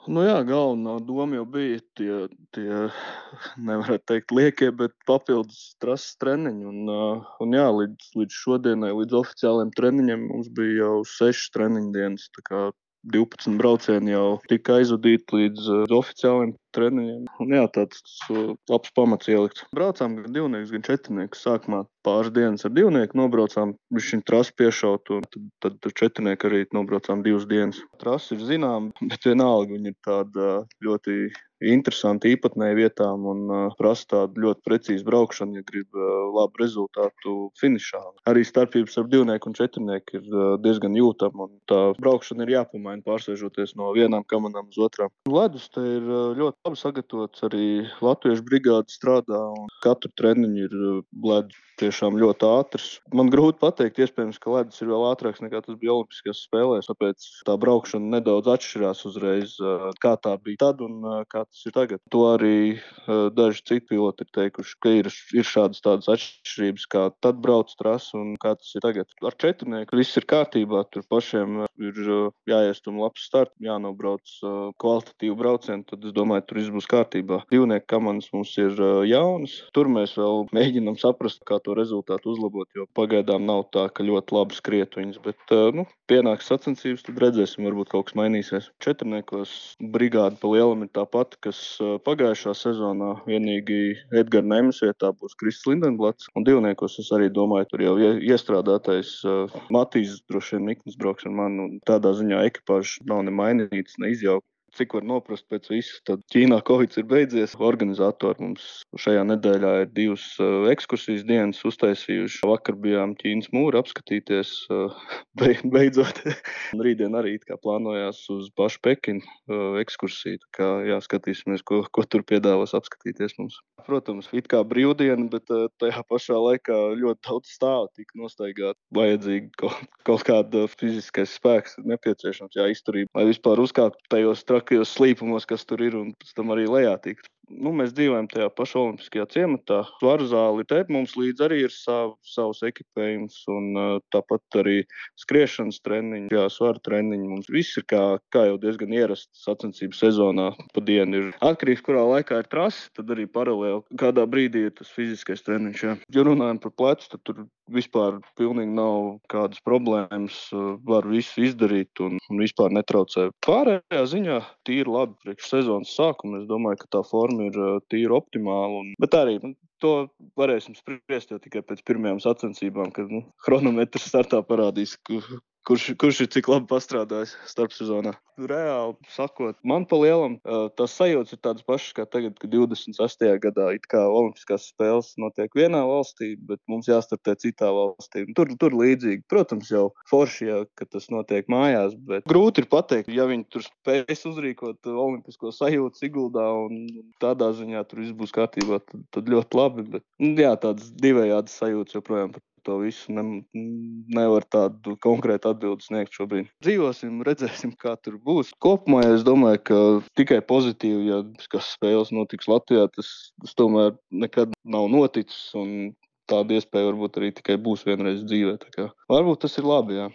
Nu jā, galvenā doma jau bija tie nevarētu teikt liekie, bet papildus trases treniņi. Un jā, līdz šodienai, līdz oficiāliem treniņiem mums bija jau 6 treniņu dienas. Tā kā 12 braucieni jau tika aizvadīti līdz oficiāliem treniņiem. Un jā, tāds labs pamats ielikts. Braucām gan divnieks, gan četrnieks. Sākumā pāris dienas ar divnieku nobraucām, viņš trasi piešaut, un tad četrnieku arī nobraucām 2 dienas. Trasi ir zinām, bet vienalga viņa ir tāda ļoti interesanta īpatnēja vietām un prasa tādu ļoti precīzu braukšanu, ja grib labu rezultātu finišā. Arī starpības ar divnieku un četrnieku ir diezgan jūtama, un tā braukšana ir jāpamaina, pārsēžoties no vienām kamanām uz otrām. Ledus te ir ļoti labi sagatavots, arī latviešu brigāde strādā, un katru treniņu ir ledus tiešām ļoti ātrs. Man grūti pateikt, iespējams, ka ledus ir vēl ātrāks nekā tas bija Olimpiskajās spēlēs, tāpēc tā braukšana nedaudz atšķirās uzreiz, kā tā bija tad un kā tas ir tagad. To arī daži citi piloti ir teikuši, ka ir šādas tādas atšķirības, kā tad brauc trasi un kā tas ir tagad. Ar četrnieku viss ir kārtībā, tur pašiem ir jāiestum labs starts, jānobrauc kvalitatīvu braucienu, tad es domāju, tur viss būs kārtībā. Divnieku komandas mums ir jaunas, tur mēs vēl mēģinam saprast, kā to rezultātu uzlabot, jo pagaidām nav tā, ka ļoti labi skriet viņas, bet pienāks sacensības, tad redzēsim, varbūt kaut kas mainīsies. Četrniekos brigāde pa lielam ir tā pati, kas pagājušā sezonā, vienīgi Edgara Neimas vietā būs Kristis Lindenblats, un divniekos es arī domāju, tur jau iestrādātais Matīs droši vien Miknis brauks ar mani, un tādā ziņā ekipāžas nav ne mainītas, ne izjauktas. Cik var noprast pēc visu, tad Ķīnā Covids ir beidzies. Organizatori mums šajā nedēļā ir 2 ekskursijas dienas uztaisījuši. Vakar bijām Ķīnas mūru apskatīties, beidzot. Rītdien arī plānojās uz pašu Pekinu ekskursiju. Tā kā skatīsimies, ko tur piedāvās apskatīties mums. Protams, it kā brīvdiena, bet tajā pašā laikā ļoti daudz stāvu tika nostaigāt. Vajadzīgi kaut kāda fiziskais spēks nepieciešams, izturība, lai vispār uzkāptu tajos trakajos slīpumos, kas tur ir, un pēc tam arī lejā tikt. Mēs dzīvojam tajā pašā olimpiskajā ciematā. Svaru zāli te mums līdz arī ir savs ekipējums, un tāpat arī skriešanas treniņi, svaru treniņi. Mums viss ir kā jau diezgan ierasts sacensību sezonā. Pa dienu ir atkarīgs, kurā laikā ir trasi, tad arī paralēli kādā brīdī ir tas fiziskais treniņš. Jā. Ja runājam par plecu, tad tur vispār pilnīgi nav kādas problēmas, var visu izdarīt un vispār netraucē. Pārējā ziņā tīri labi priekš sezonas sākuma. Es domāju, ka tā forma ir tīri optimāla, bet arī to varēsim spriest jau tikai pēc pirmajām sacensībām, kad chronometrs startā parādīs, kurš ir cik labi pastrādājis starpsezonā. Reāli sakot, man pa lielam tās sajūtas ir tādas pašas kā tagad, kad 26. gadā it kā olimpiskās spēles notiek vienā valstī, bet mums jāstartē citā valstī. Tur līdzīgi. Protams, jau forši, ka tas notiek mājās, bet grūti ir pateikt, ja viņi tur spēs uzrīkot olimpisko sajūtu Siguldā un tādā ziņā tur viss būs kārtībā, tad ļoti labi, bet tādas divējādas sajūtas joprojām par to visu nevar tādu konkrētu atbildi sniegt šobrīd. Dzīvosim, redzēsim, kā tur būs. Kopumā es domāju, ka tikai pozitīvi, ja kas spēles notiks Latvijā, tas tomēr nekad nav noticis, un tāda iespēja varbūt arī tikai būs vienreiz dzīvē. Varbūt tas ir labi, jā.